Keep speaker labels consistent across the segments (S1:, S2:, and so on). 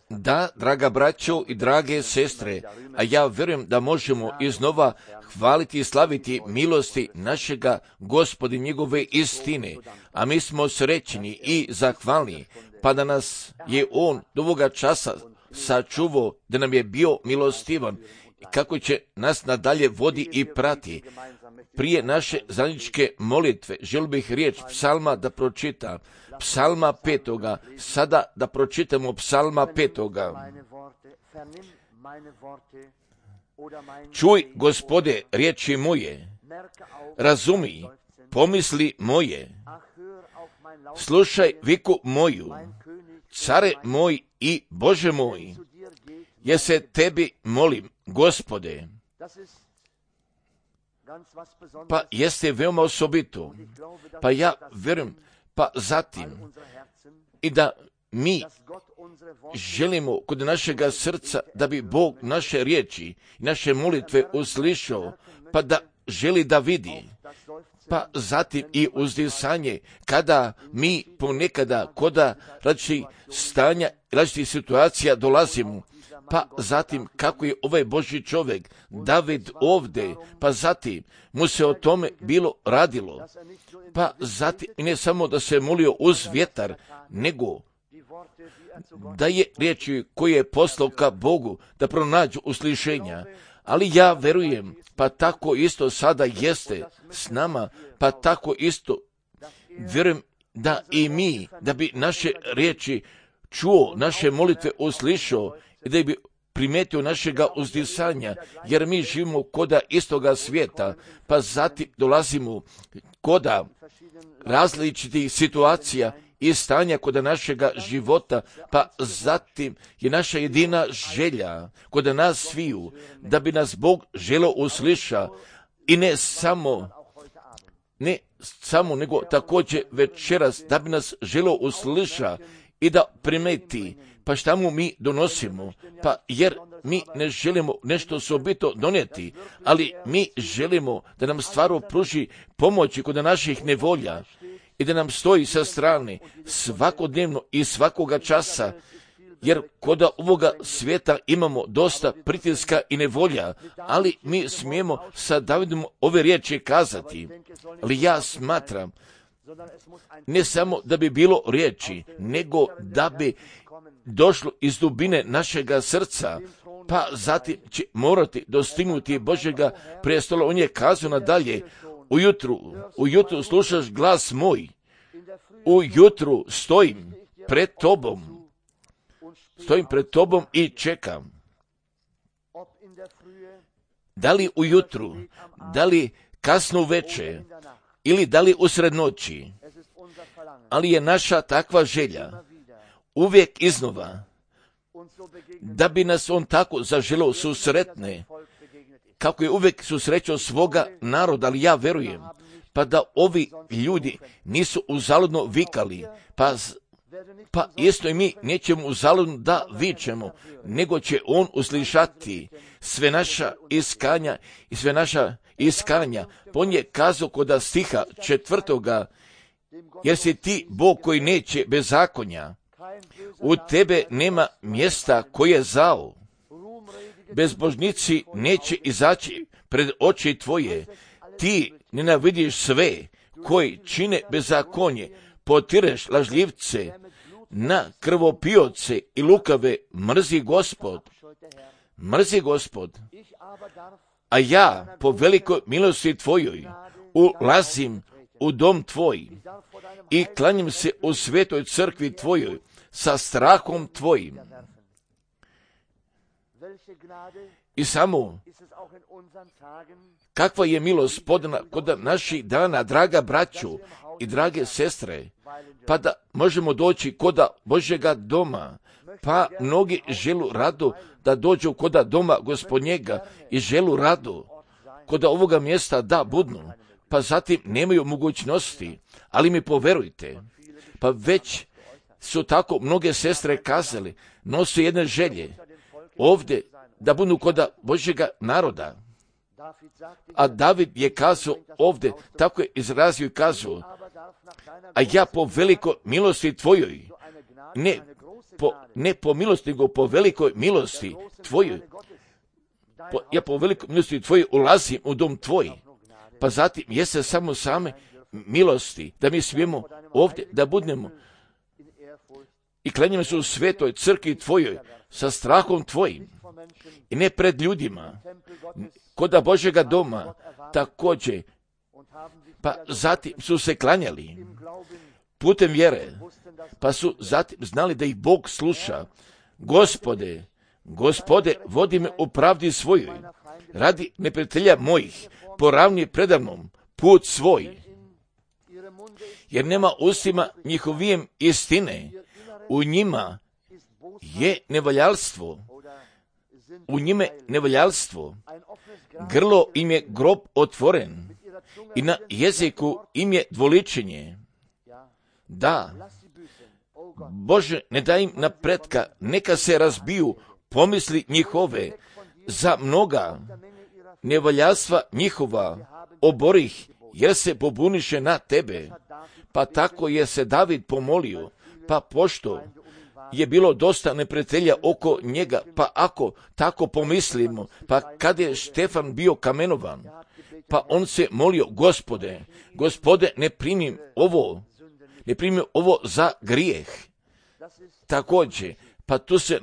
S1: Da, draga braćo i drage sestre, a ja vjerujem da možemo iznova hvaliti i slaviti milosti našega Gospoda i njegove istine, a mi smo srećni i zahvalni, pa da nas je On do ovoga časa sačuvao, da nam je bio milostivan i kako će nas nadalje vodi i prati. Prije naše zajedničke molitve želio bih riječ psalma da pročitam. Psalma 5. Sada da pročitamo psalma 5. Čuj, Gospode, riječi moje, razumi, pomisli moje, slušaj viku moju, care moj i Bože moj, jer se tebi molim, Gospode. Pa jeste veoma osobito, pa ja vjerujem, pa zatim i da mi želimo kod našega srca da bi Bog naše riječi i naše molitve uslišao, pa da želi da vidi, pa zatim i uzdisanje kada mi ponekada koda različitih stanja, različitih situacija dolazimo, pa zatim kako je ovaj Božji čovjek David ovdje, pa zatim mu se o tome bilo radilo, pa zatim ne samo da se molio uz vjetar, nego da je riječi koje je poslao ka Bogu da pronađu uslišenja. Ali ja verujem, pa tako isto sada jeste s nama, pa tako isto vjerujem da i mi, da bi naše riječi čuo, naše molitve uslišao i da bi primetio našega uzdisanja, jer mi živimo koda istoga svijeta, pa zatim dolazimo koda različitih situacija i stanja koda našega života, pa zatim je naša jedina želja koda nas sviju, da bi nas Bog želio usliša i ne samo, nego također večeras da bi nas želio usliša i da primeti, pa šta mu mi donosimo, pa jer mi ne želimo nešto osobito donijeti, ali mi želimo da nam stvarno pruži pomoći kod naših nevolja i da nam stoji sa strane svakodnevno i svakoga časa, jer kod ovoga svijeta imamo dosta pritiska i nevolja, ali mi smijemo sa Davidom ove riječi kazati. Ali ja smatram, ne samo da bi bilo riječi, nego da bi došlo iz dubine našega srca, pa zatim će morati dostignuti Božjega prestola. On je kazao nadalje, ujutru slušaš glas moj, ujutru stojim pred tobom i čekam. Da li ujutru, da li kasno uveče, ili da li usred noći, ali je naša takva želja uvijek iznova, da bi nas on tako zaželio susretne, kako je uvijek susrećao svoga naroda, ali ja verujem, pa da ovi ljudi nisu uzaludno vikali, pa isto i mi nećemo uzaludno da vičemo, nego će on uslišati sve naša iskanja i sve naša iskanja. On je kazao kod stiha 4. jer si ti Bog koji neće bezakonja, u tebe nema mjesta koje je zao, bezbožnici neće izaći pred oči tvoje, ti nenavidiš sve koji čine bezakonje, potireš lažljivce, na krvopioce i lukave mrzi Gospod, a ja po velikoj milosti tvojoj ulazim u dom tvoj i klanjam se u svetoj crkvi tvojoj sa strahom tvojim. I samo kakva je milost podana kod naših dana, draga braću i drage sestre, pa da možemo doći koda Božjega doma, pa mnogi želu rado da dođu koda doma Gospodnjega i želu rado koda ovoga mjesta da budnu, pa zatim nemaju mogućnosti, ali mi poverujte, pa već su tako mnoge sestre kazali, nose jedne želje ovdje da budu koda Božjega naroda. A David je kazao ovdje, tako je izrazio i kazao, a ja po velikoj milosti tvojoj, ne ne po milosti, nego po velikoj milosti tvojoj. Ja po velikoj milosti tvojoj ulazim u dom tvoj. Pa zatim jeste samo same milosti, da mi smijemo ovdje da budemo i klanjamo se u svetoj crkvi tvojoj sa strahom tvojim i ne pred ljudima, kod Božjega doma također. Pa zatim su se klanjali putem vjere, pa su zatim znali da ih Bog sluša. Gospode, vodi me u pravdi svojoj, radi neprijatelja mojih, poravni predamnom put svoj. Jer nema ustima njihovijem istine, u njima je nevaljalstvo, grlo im je grob otvoren i na jeziku im je dvoličenje. Da, Bože, ne daj im napretka, neka se razbiju pomisli njihove, za mnoga nevaljalstva njihova oborih, jer se pobuniše na tebe. Pa tako je se David pomolio, pa pošto je bilo dosta neprijatelja oko njega, pa ako tako pomislimo, pa kad je Štefan bio kamenovan, pa on se molio, Gospode, ne primi ovo za grijeh. Također, pa tu se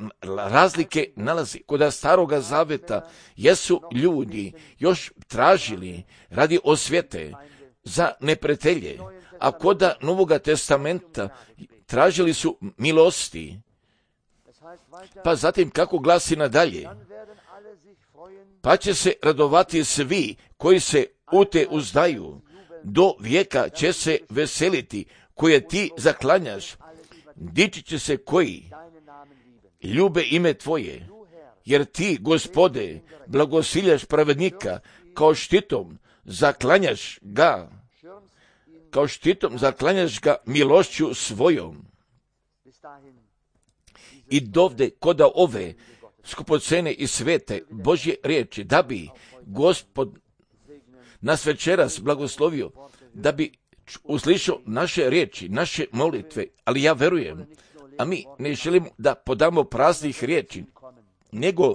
S1: razlike nalazi. Kod Staroga Zaveta jesu ljudi još tražili radi osvete za neprijatelje, a kod Novoga Testamenta tražili su milosti. Pa zatim kako glasi nadalje? Pa će se radovati svi koji se u te uzdaju, do vijeka će se veseliti koje ti zaklanjaš, dići će se koji ljube ime tvoje, jer ti, Gospode, blagosiljaš pravednika, kao štitom zaklanjaš ga milošću svojom. I dovde koda ove skupocene i svete Božje riječi, da bi Gospod nas večeras blagoslovio, da bi uslišao naše riječi, naše molitve, ali ja verujem, a mi ne želimo da podamo praznih riječi, nego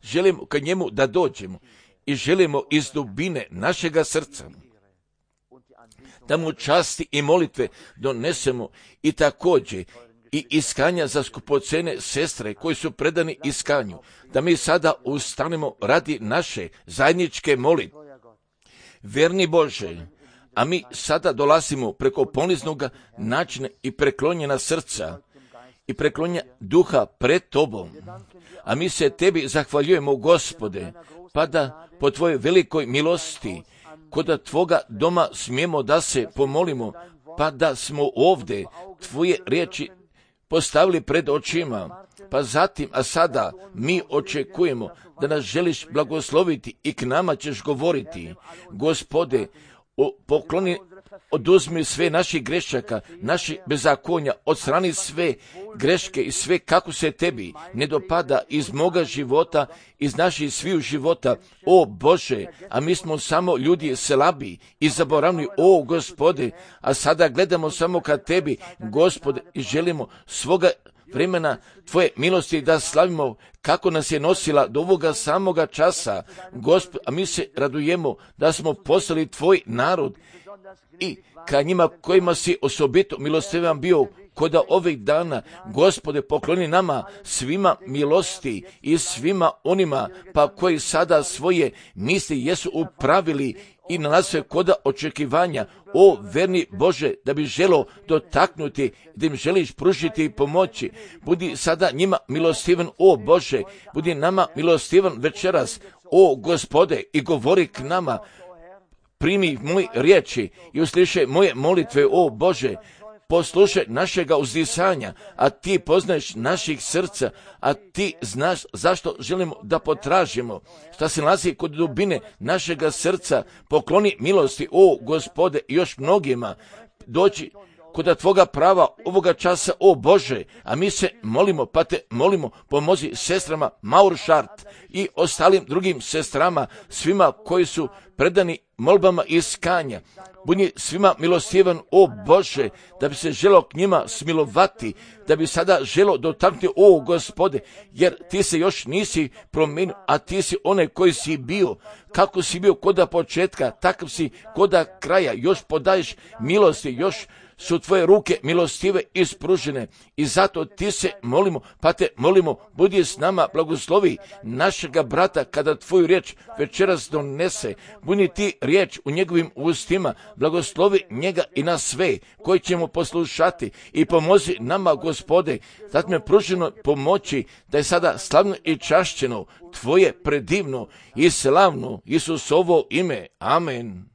S1: želimo ka njemu da dođemo i želimo iz dubine našega srca da mu časti i molitve donesemo i također i iskanja za skupocene sestre koji su predani iskanju, da mi sada ustanemo radi naše zajedničke molitve. Verni Bože, a mi sada dolazimo preko poniznog načina i preklonjena srca i preklonja duha pred Tobom. A mi se Tebi zahvaljujemo, Gospode, pa da po Tvojoj velikoj milosti kod Tvoga doma smijemo da se pomolimo, pa da smo ovdje Tvoje riječi postavili pred očima, pa zatim, a sada mi očekujemo da nas želiš blagosloviti i k nama ćeš govoriti. Gospode, pokloni, oduzmi sve naših grešaka, naših bezakonja, odstrani sve greške i sve kako se Tebi ne dopada iz moga života, iz naših sviju života. O Bože, a mi smo samo ljudi slabi i zaboravni, o Gospode, a sada gledamo samo ka Tebi, Gospode, i želimo svoga vremena Tvoje milosti da slavimo kako nas je nosila do ovoga samoga časa, Gospod, a mi se radujemo da smo postali Tvoj narod i ka njima kojima si osobito milostivan bio kod ovih dana. Gospode, pokloni nama svima milosti i svima onima pa koji sada svoje misli jesu upravili i nalaze koda očekivanja. O verni Bože, da bi želo dotaknuti, da im želiš pružiti i pomoći. Budi sada njima milostivan, o Bože, budi nama milostivan večeras, o Gospode, i govori k nama. Primi moje riječi i uslišaj moje molitve, o Bože, poslušaj našega uzdisanja, a ti poznaješ naših srca, a ti znaš zašto želimo da potražimo, šta se nalazi kod dubine našega srca. Pokloni milosti, o Gospode, i još mnogima doći kod Tvoga prava ovoga časa, o Bože, a mi se molimo, pa Te molimo, pomozi sestrama Mauršart i ostalim drugim sestrama, svima koji su predani molbama iskanja. Budi svima milostivan, o Bože, da bi se želo k njima smilovati, da bi sada želo dotaknuti, o Gospode, jer Ti se još nisi promijenio, a Ti si onaj koji si bio, kako si bio koda početka, takav si koda kraja, još podaješ milosti, još su Tvoje ruke milostive ispružene i zato Ti se molimo, pa Te molimo, budi s nama, blagoslovi našega brata kada Tvoju riječ večeras donese, budi Ti riječ u njegovim ustima, blagoslovi njega i nas sve koji ćemo poslušati i pomozi nama, Gospode, da me pruženo pomoći da je sada slavno i čašćeno Tvoje predivno i slavno Isusovo ime. Amen.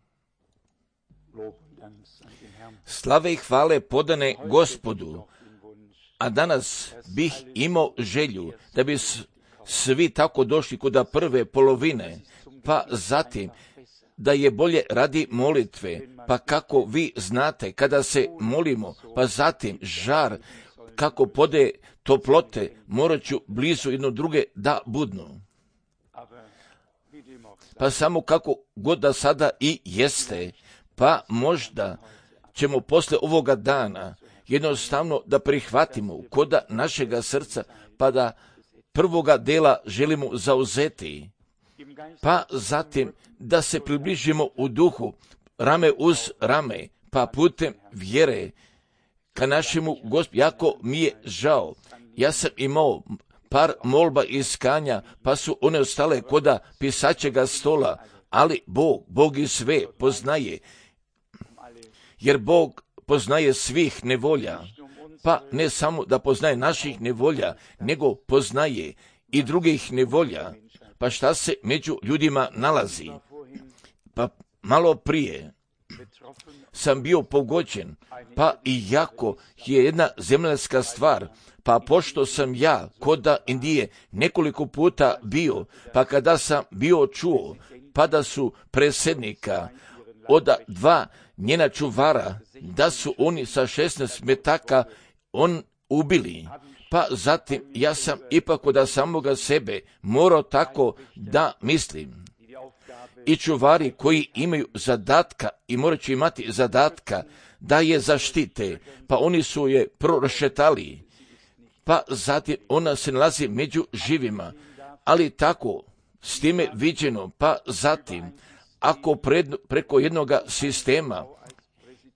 S1: Slave i hvale podane Gospodu, a danas bih imao želju da bi svi tako došli kod prve polovine, pa zatim da je bolje radi molitve, pa kako vi znate kada se molimo, pa zatim žar, kako pode toplote, morat ću blizu jedno druge da budnu. Pa samo kako god da sada i jeste, pa možda ćemo posle ovoga dana jednostavno da prihvatimo koda našega srca, pa da prvoga dela želimo zauzeti, pa zatim da se približimo u duhu, rame uz rame, pa putem vjere ka našemu Gospodu. Jako mi je žao, ja sam imao par molba iskanja, pa su one ostale koda pisaćega stola, ali Bog i sve poznaje, jer Bog poznaje svih nevolja, pa ne samo da poznaje naših nevolja, nego poznaje i drugih nevolja, pa šta se među ljudima nalazi. Pa malo prije sam bio pogođen, pa i jako je jedna zemaljska stvar, pa pošto sam ja koda Indije nekoliko puta bio, pa kada sam bio čuo, pa da su predsjednika od 2 njena čuvara, da su oni sa 16 metaka ubili, pa zatim ja sam ipak od samoga sebe morao tako da mislim. I čuvari koji imaju zadatka i morat će imati zadatka da je zaštite, pa oni su je prošetali, pa zatim ona se nalazi među živima, ali tako s time viđeno, pa zatim ako preko jednoga sistema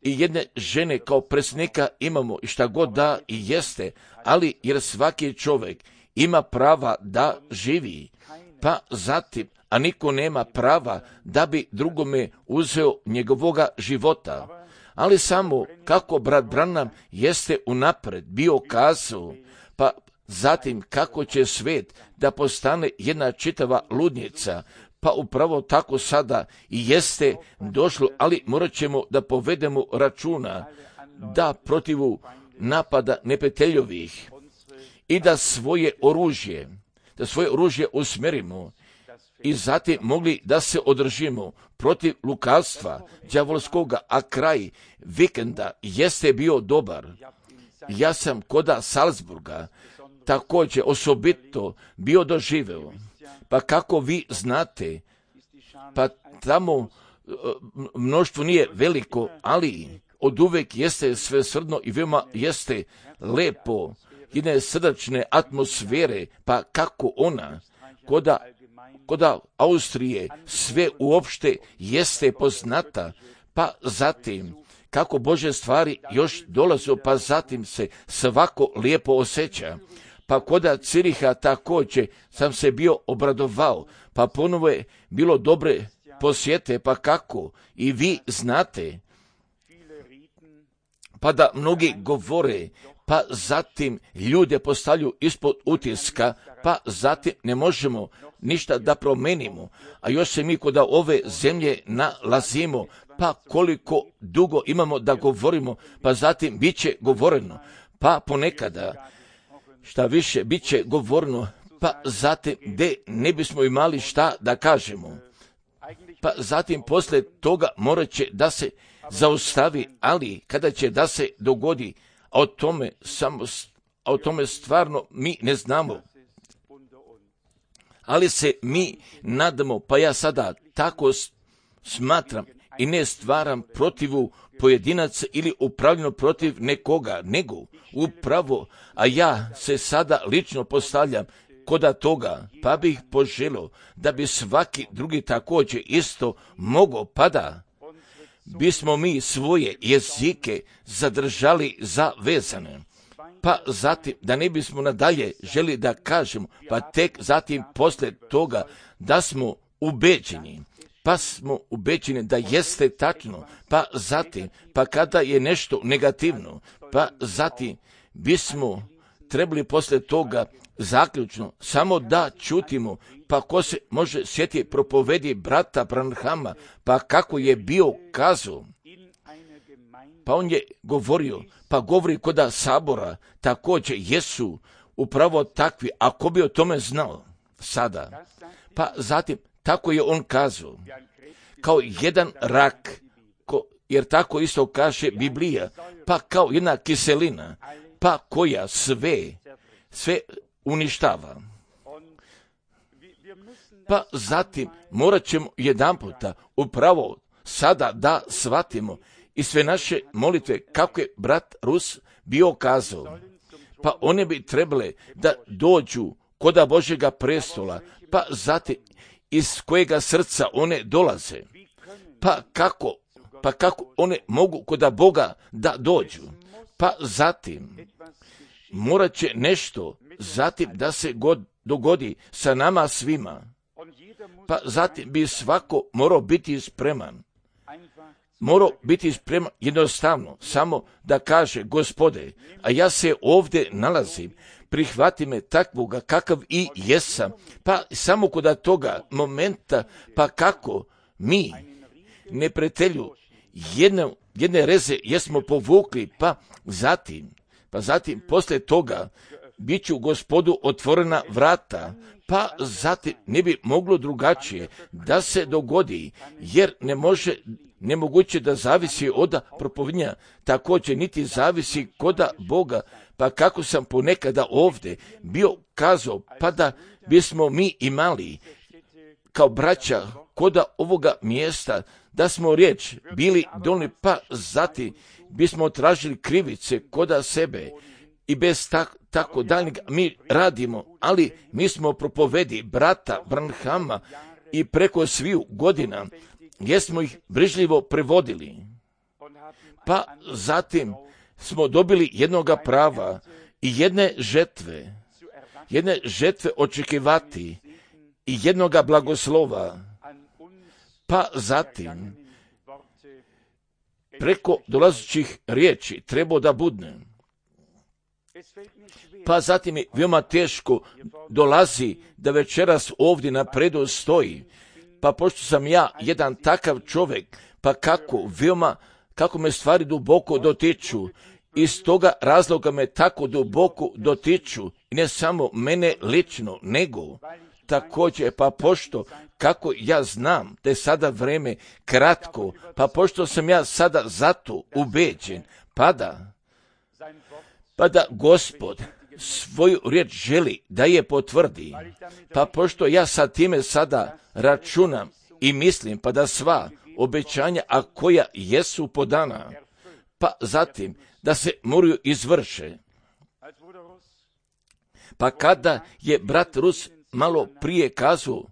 S1: i jedne žene kao predsjednika imamo i šta god da i jeste, ali jer svaki čovjek ima prava da živi, pa zatim, a niko nema prava da bi drugome uzeo njegovoga života. Ali samo kako brat Branham jeste unapred bio kazao, pa zatim kako će svet da postane jedna čitava ludnica, pa upravo tako sada i jeste došlo, ali morat ćemo da povedemo računa da protivu napada neprijateljovih i da svoje oružje usmjerimo i zatim mogli da se održimo protiv lukavstva đavolskoga, a kraj vikenda jeste bio dobar. Ja sam koda Salzburga također osobito bio doživeo, pa kako vi znate, pa tamo mnoštvo nije veliko, ali od uvek jeste svesrdno i veoma jeste lepo, jedne srdačne atmosfere, pa kako ona koda Austrije sve uopšte jeste poznata, pa zatim kako Bože stvari još dolaze, pa zatim se svako lijepo osjeća. Pa koda Ciriha također sam se bio obradovao, pa ponovo je bilo dobre posjete, pa kako i vi znate, pa da mnogi govore, pa zatim ljude postavljaju ispod utiska, pa zatim ne možemo ništa da promenimo, a još se mi kod ove zemlje nalazimo, pa koliko dugo imamo da govorimo, pa zatim bit će govoreno, pa ponekada šta više bit će govoreno, pa zatim gdje ne bismo imali šta da kažemo. Pa zatim posle toga morat će da se zaustavi, ali kada će da se dogodi, a o tome stvarno mi ne znamo. Ali se mi nadamo, pa ja sada tako smatram i ne stvaram protivu pojedinaca ili upravljeno protiv nekoga, nego upravo, a ja se sada lično postavljam koda toga, pa bih poželio da bi svaki drugi također isto mogao, pa da bismo mi svoje jezike zadržali zavezane. Pa zatim, da ne bismo nadalje želi da kažemo, pa tek zatim poslije toga da smo ubeđeni. Pa smo ubeđeni da jeste tačno, pa zatim, pa kada je nešto negativno, pa zatim bismo trebali poslije toga zaključno samo da čutimo, pa ko se može sjetiti propovedi brata Branhama, pa kako je bio kazao, pa on je govorio, pa govori koda sabora, također jesu upravo takvi, ako bi o tome znao sada, pa zatim tako je on kazao, kao jedan rak, jer tako isto kaže Biblija, pa kao jedna kiselina, pa koja sve uništava. Pa zatim morat ćemo jedanputa upravo sada da shvatimo i sve naše molitve, kako je brat Rus bio kazao, pa one bi trebale da dođu koda Božjega prestola, pa zatim iz kojega srca one dolaze, pa kako one mogu koda Boga da dođu, pa zatim morat će nešto zatim da se dogodi sa nama svima, pa zatim bi svako morao biti spreman. Morao biti spreman jednostavno, samo da kaže, Gospode, a ja se ovdje nalazim, prihvati me takvoga kakav i jesam, pa samo kod toga momenta, pa kako mi neprijatelju jedne reze jesmo povukli, pa zatim poslije toga bit ću Gospodu otvorena vrata, pa zatim ne bi moglo drugačije da se dogodi, jer nemoguće da zavisi od propovedanja, također niti zavisi koda Boga, pa kako sam ponekada ovdje bio kazao, pa da bismo mi imali kao braća koda ovoga mjesta, da smo riječ bili dolni, pa zatim bismo tražili krivice koda sebe i bez tako daljnjeg mi radimo, ali mi smo propovedi brata Branhama i preko sviju godina jesmo ih brižljivo prevodili. Pa zatim smo dobili jednoga prava i jedne žetve očekivati i jednoga blagoslova. Pa zatim preko dolazećih riječi treba da budne. Pa zatim je veoma teško dolazi da večeras ovdje napredu stoji. Pa pošto sam ja jedan takav čovjek, pa kako me stvari duboko dotiču, iz toga razloga me tako duboko dotiču, i ne samo mene lično, nego također, pa pošto kako ja znam da je sada vrijeme kratko, pa pošto sam ja sada zato ubeđen, pa da Gospod svoju riječ želi da je potvrdi, pa pošto ja sa time sada računam i mislim, pa da sva obećanja, a koja jesu podana, pa zatim da se moraju izvrše. Pa kada je brat Rus malo prije kazao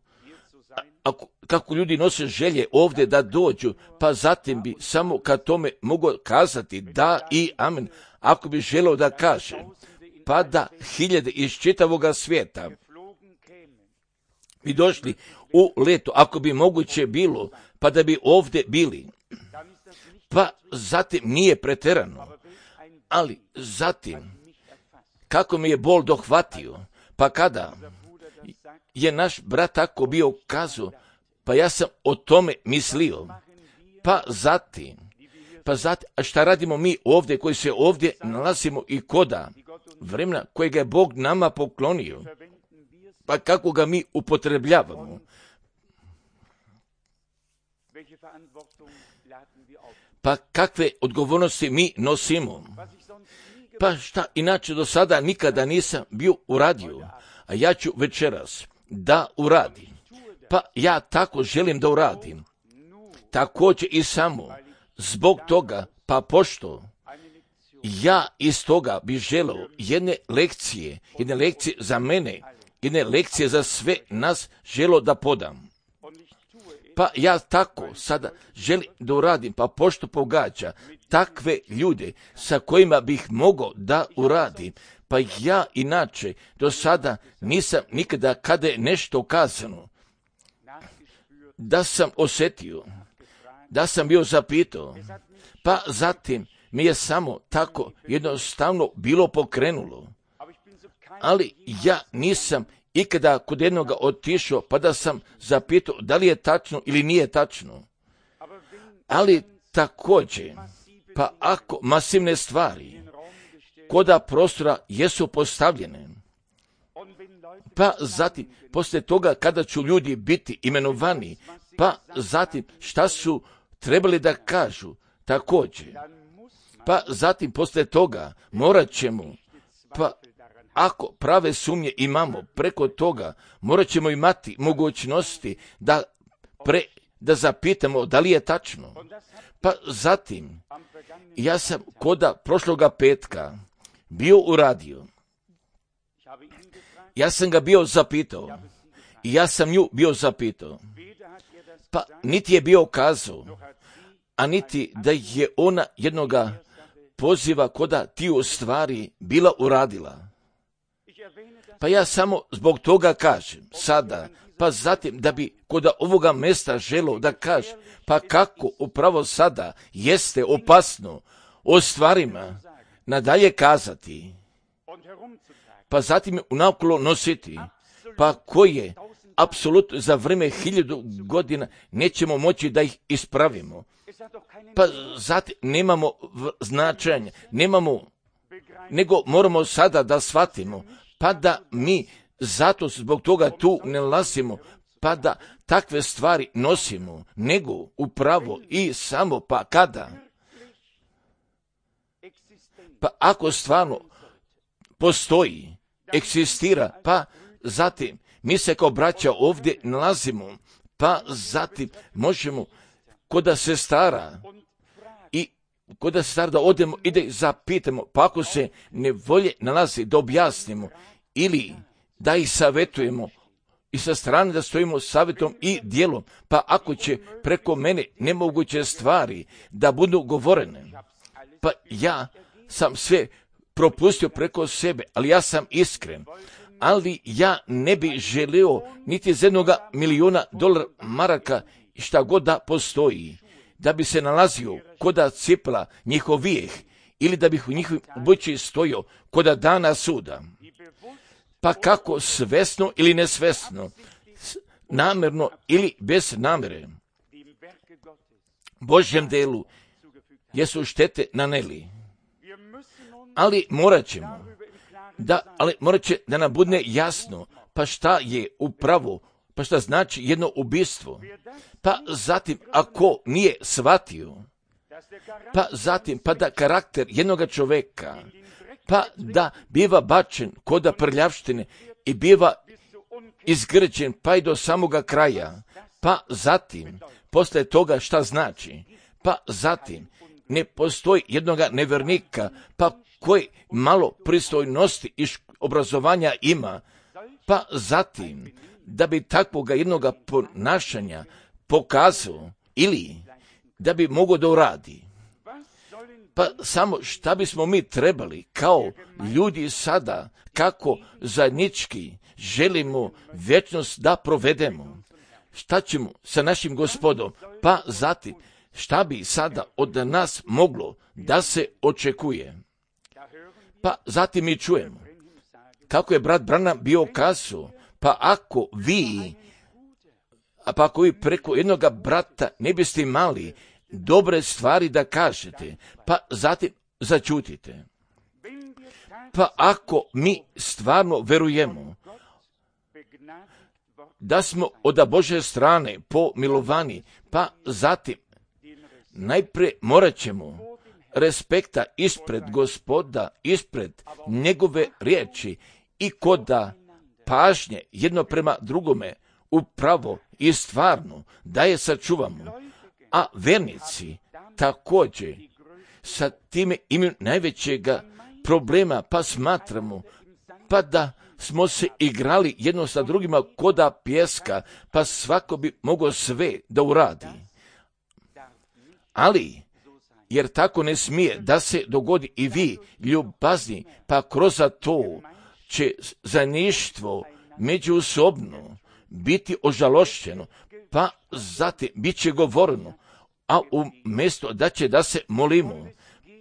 S1: kako ljudi nose želje ovdje da dođu, pa zatim bi samo kad tome mogao kazati da i amen, ako bi želeo da kaže, pa da hiljade iz čitavoga svijeta bi došli u leto, ako bi moguće bilo, pa da bi ovdje bili. Pa zatim nije preterano, ali zatim kako mi je bol dohvatio, pa kada je naš brat tako bio kazao, pa ja sam o tome mislio, pa zatim, a šta radimo mi ovdje koji se ovdje nalazimo i koda vremena kojega je Bog nama poklonio, pa kako ga mi upotrebljavamo. pa kakve odgovornosti mi nosimo. Pa šta inače do sada nikada nisam bio uradio, a ja ću večeras da uradim. Pa ja tako želim da uradim. Također i samo zbog toga, pa pošto ja iz toga bih želeo jedne lekcije za mene, jedne lekcije za sve nas želeo da podam. Pa ja tako sada želim da uradim, pa pošto pogađa takve ljude sa kojima bih mogao da uradim, pa ja inače do sada nisam nikada kada je nešto kazano, da sam osjetio, da sam bio zapitao, pa zatim mi je samo tako jednostavno bilo pokrenulo. Ali ja nisam ikada kod jednoga otišao pa da sam zapitao da li je tačno ili nije tačno. Ali također, pa ako masivne stvari koda prostora jesu postavljene, pa zatim poslije toga kada ću ljudi biti imenovani, pa zatim šta su trebali da kažu također, pa zatim poslije toga morat ćemo, pa ako prave sumnje imamo preko toga, morat ćemo imati mogućnosti da zapitamo da li je tačno. Pa zatim, ja sam koda prošloga petka bio uradio. Ja sam ga bio zapitao. I ja sam nju bio zapitao. Pa niti je bio kazao, a niti da je ona jednoga poziva koda ti u stvari bila uradila. Pa ja samo zbog toga kažem sada, pa zatim da bi koda ovoga mjesta želio da kaže, pa kako upravo sada jeste opasno o stvarima nadalje kazati, pa zatim unaokolo nositi, pa koje apsolutno za vrijeme 1000 godina nećemo moći da ih ispravimo. Pa zatim nemamo značenja, nego moramo sada da shvatimo, pa da mi zato zbog toga tu ne lasimo, pa da takve stvari nosimo, nego upravo i samo pa kada. Pa ako stvarno postoji, egzistira, pa zatim mi se kao braća ovdje nalazimo, pa zatim možemo koda se stara da odemo i da zapitamo, pa ako se ne volje nalazi da objasnimo ili da ih savjetujemo i sa strane da stojimo savjetom i djelom, pa ako će preko mene nemoguće stvari da budu govorene, pa ja sam sve propustio preko sebe, ali ja sam iskren, ali ja ne bi želio niti za $1.000.000 maraka šta god da postoji, da bi se nalazio koda cipla njihovijeh ili da bih u njihovim obući stojio koda dana suda. Pa kako svesno ili nesvesno, namjerno ili bez namjere, Božjem delu jesu štete naneli. Ali morat će da nam bude jasno, pa šta je upravo, pa šta znači jedno ubistvo. Pa zatim, ako nije shvatio, pa zatim, pa da karakter jednoga čoveka, pa da biva bačen koda prljavštine i biva izgrđen pa i do samoga kraja, pa zatim, posle toga šta znači, pa zatim, ne postoji jednoga nevernika, pa koji malo pristojnosti i obrazovanja ima, pa zatim, da bi takvoga jednoga ponašanja pokazao ili da bi mogao da uradi. Pa samo šta bismo mi trebali kao ljudi sada, kako zajednički želimo vječnost da provedemo. Šta ćemo sa našim Gospodom? Pa zatim, šta bi sada od nas moglo da se očekuje? Pa zatim mi čujemo kako je brat Branham bio kazao, pa ako vi preko jednoga brata ne biste imali dobre stvari da kažete, pa zatim začutite. Pa ako mi stvarno verujemo da smo od Božje strane pomilovani, pa zatim najprije morat ćemo respekta ispred Gospoda, ispred njegove riječi i koda pažnje jedno prema drugome upravo i stvarno da je sačuvamo. A vernici također sa time imaju najvećega problema, pa smatramo pa da smo se igrali jedno sa drugima koda pjeska, pa svako bi mogao sve da uradi. Ali, jer tako ne smije da se dogodi i vi, ljubazni, pa kroz to će zajedništvo međusobno biti ožalošćeno, pa zatim bit će govoreno, a umjesto da će da se molimo,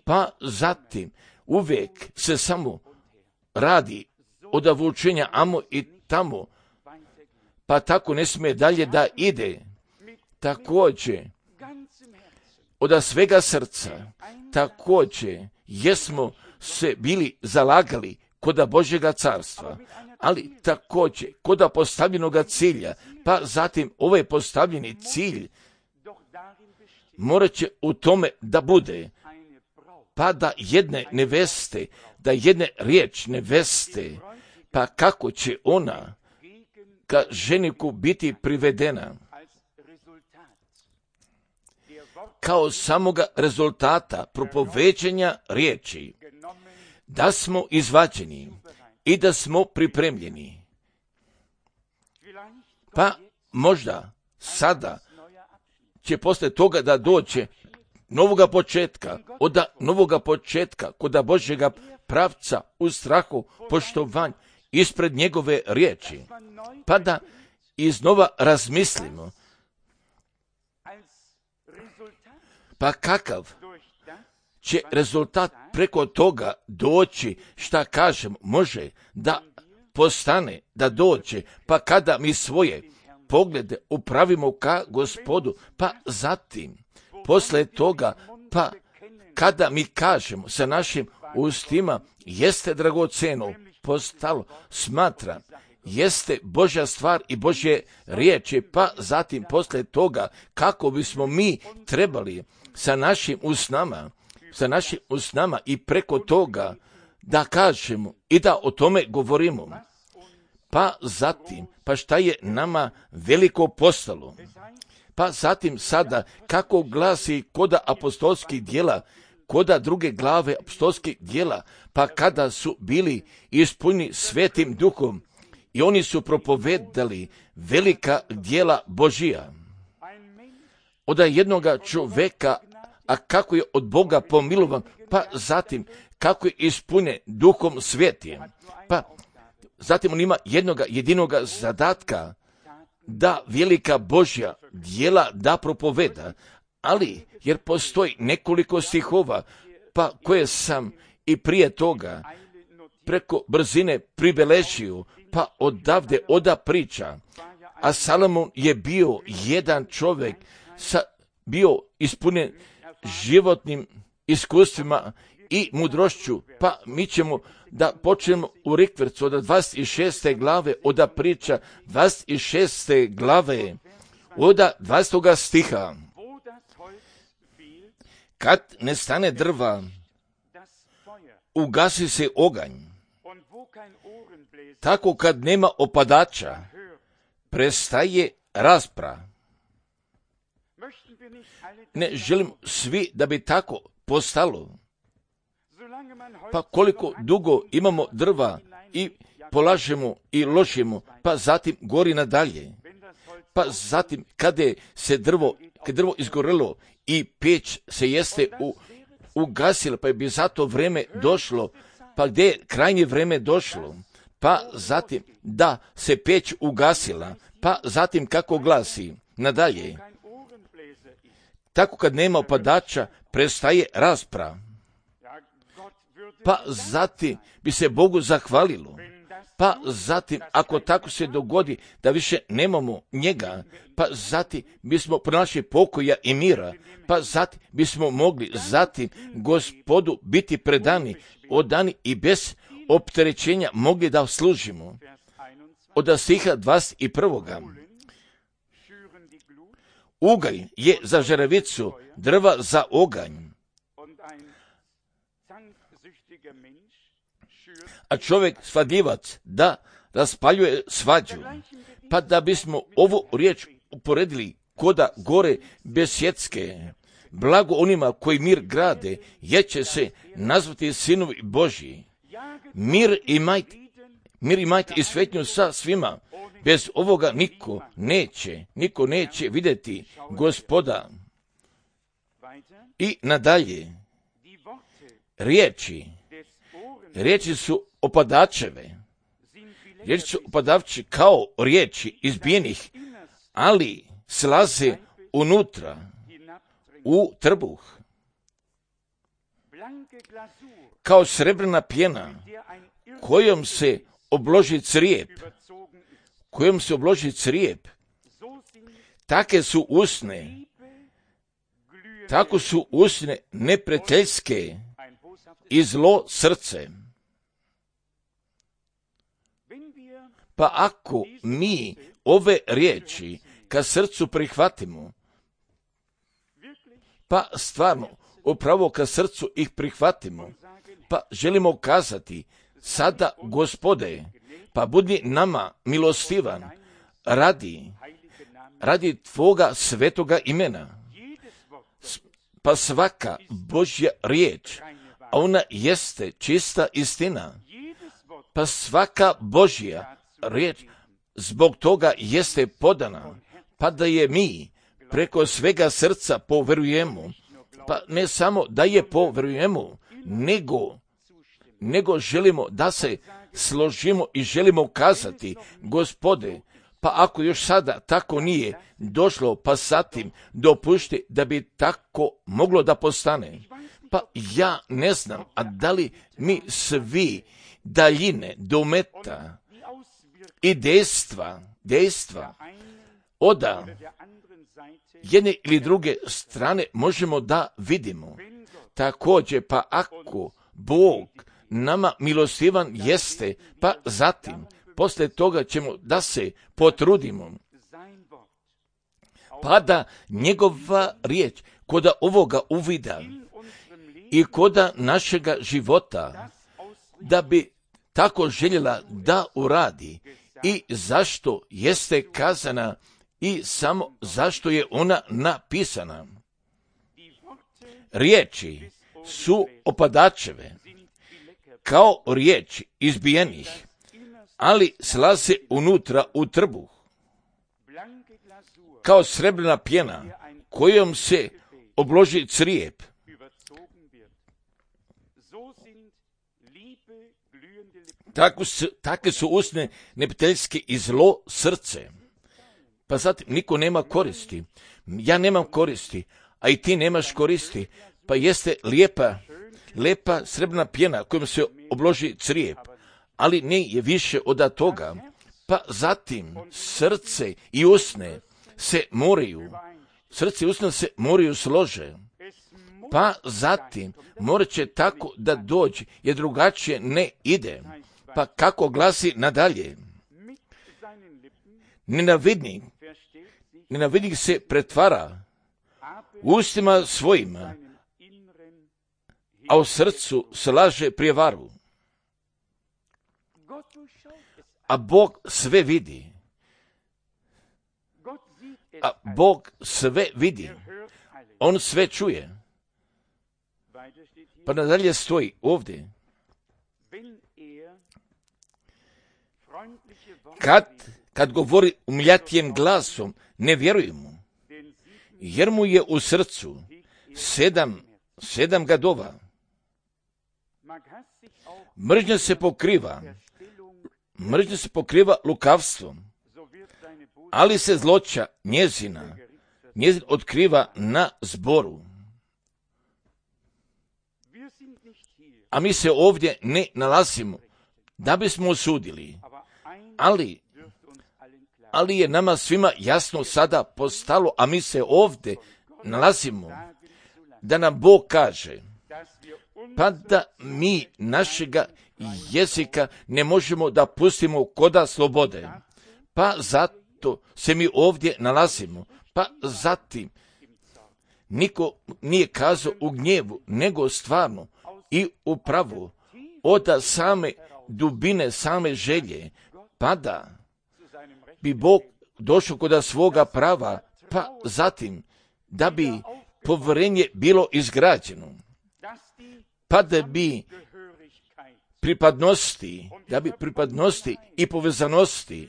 S1: pa zatim uvijek se samo radi od avučenja amo i tamo, pa tako ne smije dalje da ide. Također, od svega srca, također, jesmo se bili zalagali koda Božjega carstva, ali također koda postavljenoga cilja, pa zatim ovaj postavljeni cilj morat će u tome da bude, pa da jedne neveste, da jedne riječ neveste, pa kako će ona ka ženiku biti privedena, kao samoga rezultata propoveđenja riječi, da smo izvađeni i da smo pripremljeni. Pa možda sada će posle toga da dođe novoga početka, od novoga početka kod Božjega pravca u strahu poštovanju ispred njegove riječi, pa da iznova razmislimo, pa kakav će rezultat preko toga doći, šta kažem, može da postane, da dođe, pa kada mi svoje poglede upravimo ka Gospodu, pa zatim, posle toga, pa kada mi kažemo sa našim ustima, jeste dragoceno postalo, smatram, jeste Božja stvar i Božje riječi, pa zatim posle toga, kako bismo mi trebali sa našim usnama i preko toga da kažemo i da o tome govorimo. Pa zatim, pa šta je nama veliko postalo? Pa zatim sada, kako glasi koda apostolskih djela, koda druge glave apostolskih djela, pa kada su bili ispunjeni Svetim Duhom i oni su propovedali velika djela Božija. Od jednoga čoveka, a kako je od Boga pomilovan, pa zatim kako je ispunjen Duhom Svetim, pa zatim on ima jednoga jedinoga zadatka da velika Božja djela da propoveda, ali jer postoji nekoliko stihova, pa koje sam i prije toga preko brzine pribeležio, pa odavde oda priča, a Salomon je bio jedan čovjek, bio ispunjen životnim iskustvima i mudrošću, pa mi ćemo da počnemo u rikvercu od 26. glave, oda priča 26. glave, oda 20. stiha. Kad ne stane drva, ugasi se oganj. Tako kad nema opadača, prestaje rasprava. Ne želim svi da bi tako postalo. Pa koliko dugo imamo drva i polažemo i ložimo, pa zatim gori nadalje. Pa zatim kada se drvo izgorelo i peć se jeste ugasila, pa je bi zato vreme došlo, pa gdje je krajnje vreme došlo, pa zatim da se peć ugasila, pa zatim kako glasi nadalje. Tako kad nema opadača, prestaje rasprava. Pa zatim bi se Bogu zahvalilo. Pa zatim, ako tako se dogodi da više nemamo njega, pa zatim bismo pronašli pokoja i mira, pa zatim bismo mogli zatim Gospodu biti predani, odani i bez opterećenja mogli da služimo. Od stiha 21. ugalj je za žeravicu, drva za oganj. A čovjek svadljivac da raspaljuje svađu. Pa da bismo ovu riječ uporedili koda gore besjetske, blago onima koji mir grade, jer će se nazvati sinovi Božji. Mir imajte i svetnju sa svima. Bez ovoga niko neće vidjeti Gospoda. I nadalje, riječi su opadačeve. Riječi su opadavči kao riječi izbijenih, ali slaze unutra, u trbuh. Kao srebrna pjena, kojom se obloži crijep, tako su usne neprijateljske i zlo srce. Pa ako mi ove riječi ka srcu prihvatimo, pa stvarno upravo ka srcu ih prihvatimo, pa želimo kazati, sada Gospode, pa budi nama milostivan radi Tvoga svetoga imena. Pa svaka Božja riječ, a ona jeste čista istina, pa svaka Božja riječ zbog toga jeste podana, pa da je mi preko svega srca poverujemo, pa ne samo da je poverujemo, nego želimo da se složimo i želimo kazati, Gospode, pa ako još sada tako nije došlo, pa zatim dopušti da bi tako moglo da postane. Pa ja ne znam, a da li mi svi daljine, dometa i dejstva oda jedne ili druge strane možemo da vidimo. Također, pa ako Bog nama milostivan jeste, pa zatim, poslije toga ćemo da se potrudimo, pa da njegova riječ koda ovoga uvida i koda našega života, da bi tako željela da uradi i zašto jeste kazana i samo zašto je ona napisana. Riječi su opadačeve, kao riječi izbijenih, ali slaze unutra u trbuh, kao srebrna pjena kojom se obloži crijep. Takve su usne neprijateljske i zlo srce. Pa zatim niko nema koristi. Ja nemam koristi, a i ti nemaš koristi. Pa jeste lijepa srebrna pjena kojom se obloži crijep, ali ne je više od toga. Pa zatim srce i usne se moraju slože. Pa zatim morat će tako da dođe, jer drugačije ne ide. Pa kako glasi nadalje? Nenavidnik se pretvara ustima svojima, a u srcu slaže prijevaru. A Bog sve vidi. On sve čuje. Pa nadalje stoji ovdje. Kad govori umljatijem glasom, ne vjeruj mu, jer mu je u srcu sedam gadova. Mržnja se pokriva lukavstvom, ali se zloća njezin otkriva na zboru. A mi se ovdje ne nalazimo da bismo osudili, ali je nama svima jasno sada postalo, a mi se ovdje nalazimo da nam Bog kaže, pa da mi našega jezika ne možemo da pustimo koda slobode. Pa zato se mi ovdje nalazimo, Pa zatim, niko nije kazao u gnjevu, nego stvarno i u pravu, od same dubine, same želje, pa da bi Bog došao kod svoga prava, pa zatim da bi povjerenje bilo izgrađeno, pa da bi pripadnosti i povezanosti,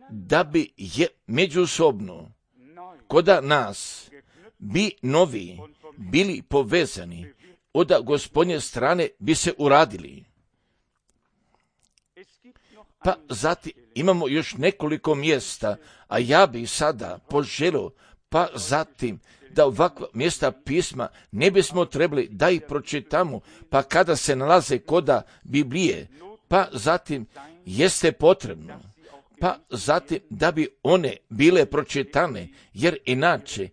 S1: da bi je međusobno koda nas bi novi bili povezani, od Gospodnje strane bi se uradili. Pa zatim imamo još nekoliko mjesta, a ja bih sada poželio, pa zatim da ovakva mjesta pisma ne bismo trebali da ih pročitamo, pa kada se nalaze koda Biblije, pa zatim jeste potrebno, pa zatim da bi one bile pročitane, jer inače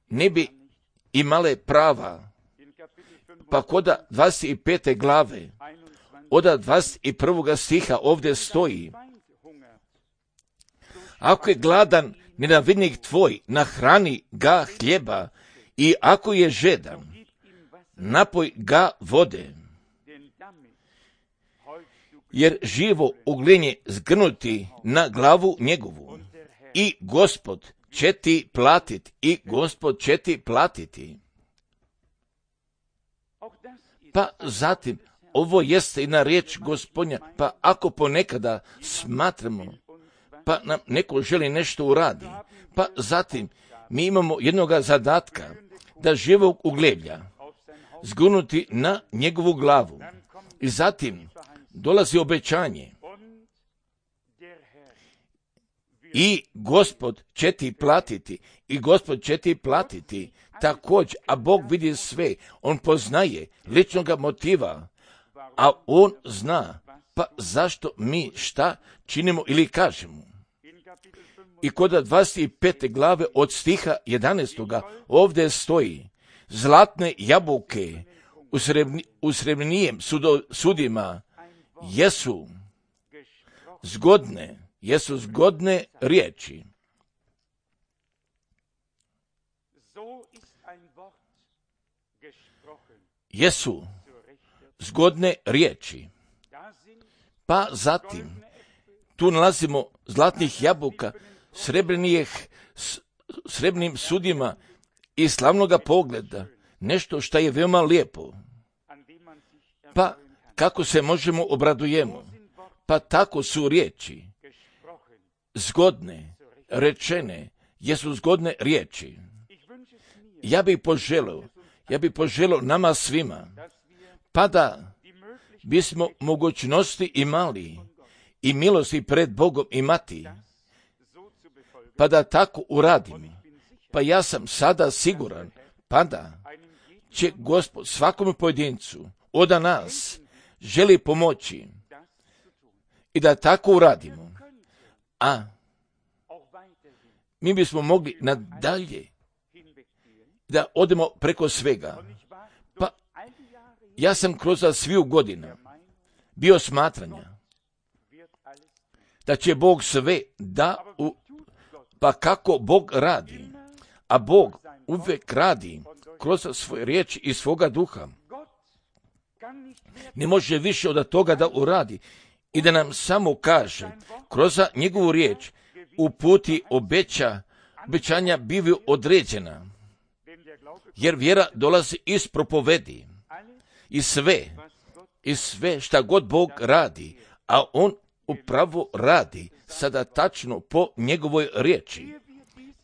S1: ne bi imale prava. Pa koda 25. glave, od 21. stiha ovdje stoji: ako je gladan nenavidnik tvoj, nahrani ga hljeba, i ako je žedan, napoj ga vode. Jer živo ugljenje zgrnuti na glavu njegovu, i Gospod će ti platiti, i Gospod će ti platiti. Pa zatim, ovo jeste i na riječ Gospodnja, pa ako ponekada smatramo, pa nam neko želi nešto uradi, pa zatim mi imamo jednoga zadatka, da živog ugljeblja zgunuti na njegovu glavu. I zatim dolazi obećanje: i Gospod će ti platiti, i Gospod će ti platiti također, a Bog vidi sve, on poznaje ličnoga motiva, a on zna, pa zašto mi šta činimo ili kažemo. I kod 25. glave od stiha 11. ovdje stoji: zlatne jabuke u srebrnijem sudima jesu zgodne riječi. Jesu zgodne riječi. Pa zatim tu nalazimo zlatnih jabuka, srebrnim sudima i slavnoga pogleda, nešto što je veoma lijepo. Pa kako se možemo obradujemo? Pa tako su riječi zgodne, rečene, jesu zgodne riječi. Ja bih poželio nama svima, pa da bismo mogućnosti imali i milosti pred Bogom imati, pa da tako uradim. Pa ja sam sada siguran, pa da će Gospod svakom pojedincu od nas želi pomoći i da tako uradimo. A mi bismo mogli nadalje da odemo preko svega. Pa ja sam kroz sviju godina bio smatranja da će Bog sve pa kako Bog radi, a Bog uvijek radi kroz svoje riječi i svoga duha. Ne može više od toga da uradi i da nam samo kaže kroz njegovu riječ uputi obećanja bivaju određena, jer vjera dolazi iz propovedi i sve šta god Bog radi, a on upravo radi sada tačno po njegovoj riječi.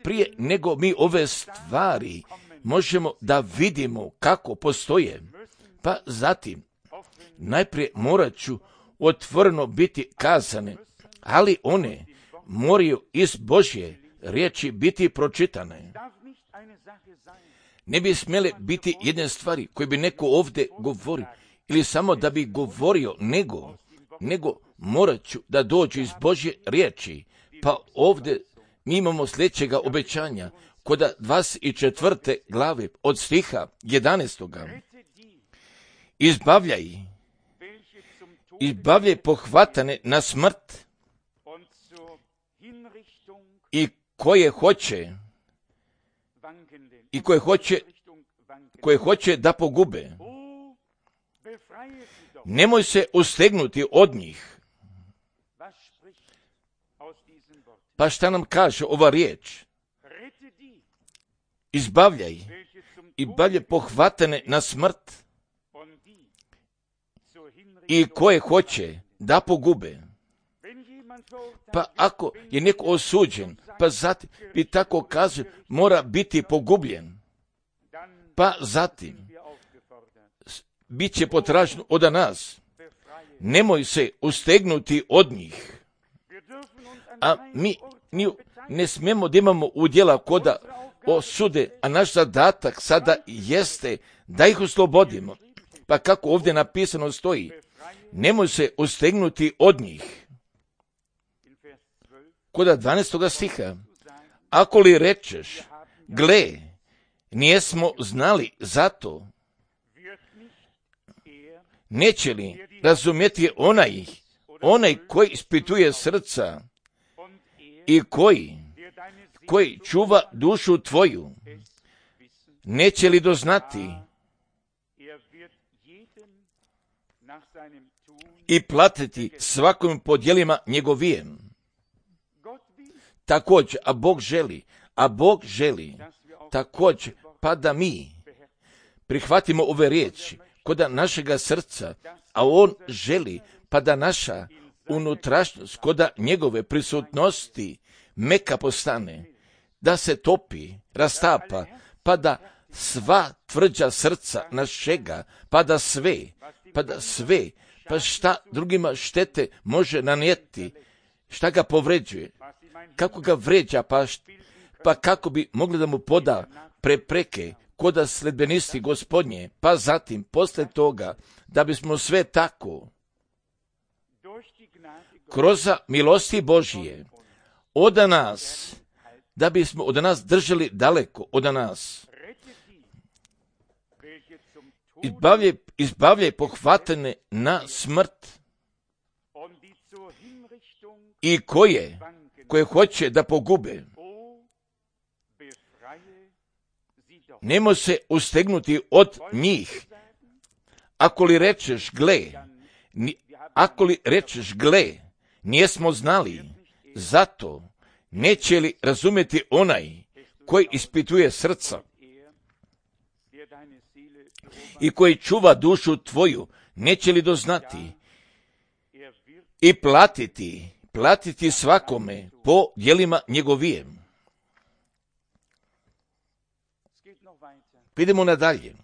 S1: Prije nego mi ove stvari možemo da vidimo kako postoje, pa zatim najprije morat ću otvoreno biti kazane, ali one moraju iz Božje riječi biti pročitane. Ne bi smjele biti jedne stvari koje bi neko ovdje govorio ili samo da bi govorio, nego morat ću da dođu iz Božje riječi. Pa ovdje mi imamo sljedećega obećanja kod 24. glave od stiha 11. Izbavljaj pohvatane na smrt i koje hoće da pogube. Nemoj se ustegnuti od njih. Pa šta nam kaže ova riječ? Izbavljaj pohvatane na smrt i koje hoće da pogube. Pa ako je neko osuđen, pa zatim bi tako kaže mora biti pogubljen, pa zatim bit će potraženo od nas. Nemoj se ustegnuti od njih. A mi ne smijemo da imamo udjela koda osude, a naš zadatak sada jeste da ih oslobodimo. Pa kako ovdje napisano stoji, nemoj se ustegnuti od njih. Koda 12. stiha, ako li rečeš, gle, nijesmo znali zato, neće li razumjeti onaj koji ispituje srca i koji čuva dušu tvoju, neće li doznati i platiti svakom po djelima njegovijem. Također, a Bog želi također, pa da mi prihvatimo ove riječi koda našega srca, a On želi pa da naša unutrašnjost koda njegove prisutnosti meka postane, da se topi, rastapa, pa da sva tvrđa srca našega, pa da sve, pa šta drugima štete može nanijeti, šta ga povređuje, kako ga vređa, pa kako bi mogli da mu poda prepreke, koda sledbenisti Gospodnje, pa zatim, posle toga, da bismo sve tako, kroz milosti Božije, od nas, da bismo od nas držali daleko od nas. Izbavljaj pohvatane na smrt i koje hoće da pogube. Nemo se ustegnuti od njih. Ako li rečeš gle, nijesmo znali, zato neće li razumjeti onaj koji ispituje srca i koji čuva dušu tvoju, neće li doznati i platiti svakome po djelima njegovijem. Idemo nadalje.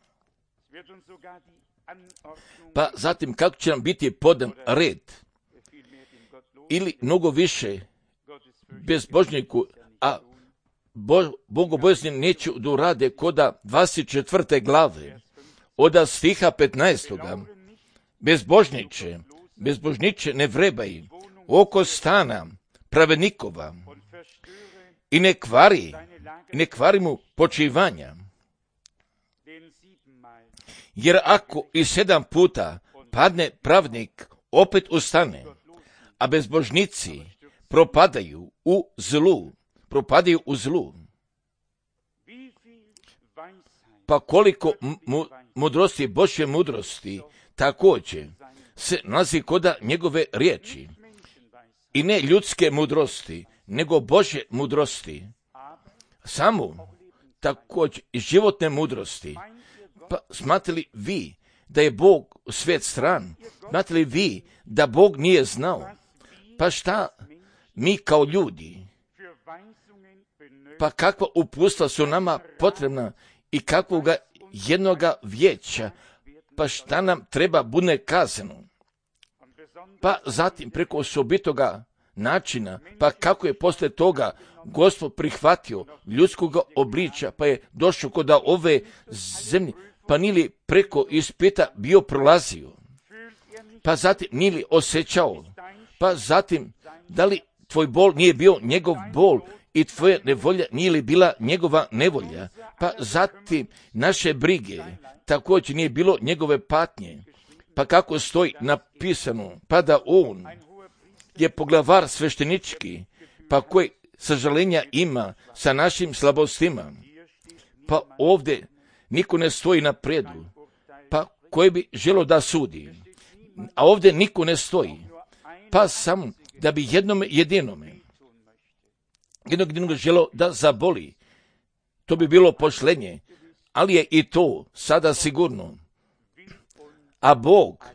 S1: Pa zatim kako će nam biti podan red ili mnogo više bezbožniku, a bogobojazni neće da urade koda 24. glave, od stiha 15. Bezbožniče ne vrebaj oko stana pravednikova i ne kvari mu počivanja. Jer ako i 7 puta padne pravnik, opet ustane, a bezbožnici propadaju u zlu. Pa koliko mudrosti, Božje mudrosti, također se nalazi koda njegove riječi. I ne ljudske mudrosti, nego Božje mudrosti. Samo također i životne mudrosti. Pa smatrali vi da je Bog svijet stran? Smatrali vi da Bog nije znao? Pa šta mi kao ljudi? Pa kakva uputstva su nama potrebna i kakvoga jednoga vijeća? Pa šta nam treba bude kazano? Pa zatim preko osobitoga načina, pa kako je posle toga Gospod prihvatio ljudskog obličja, pa je došao kod ove zemlje, pa nili preko ispita bio prolazio, pa zatim nili osjećao, pa zatim da li tvoj bol nije bio njegov bol i tvoja nevolja nije li bila njegova nevolja, pa zatim naše brige također nije bilo njegove patnje, pa kako stoji napisano, pa da on je poglavar sveštenički, pa koji sažalenja ima sa našim slabostima. Pa ovdje niko ne stoji na predu, pa koji bi želo da sudi. A ovdje niko ne stoji, pa samo da bi jednom jedinome želo da zaboli. To bi bilo pošlenje, ali je i to sada sigurno. A Bog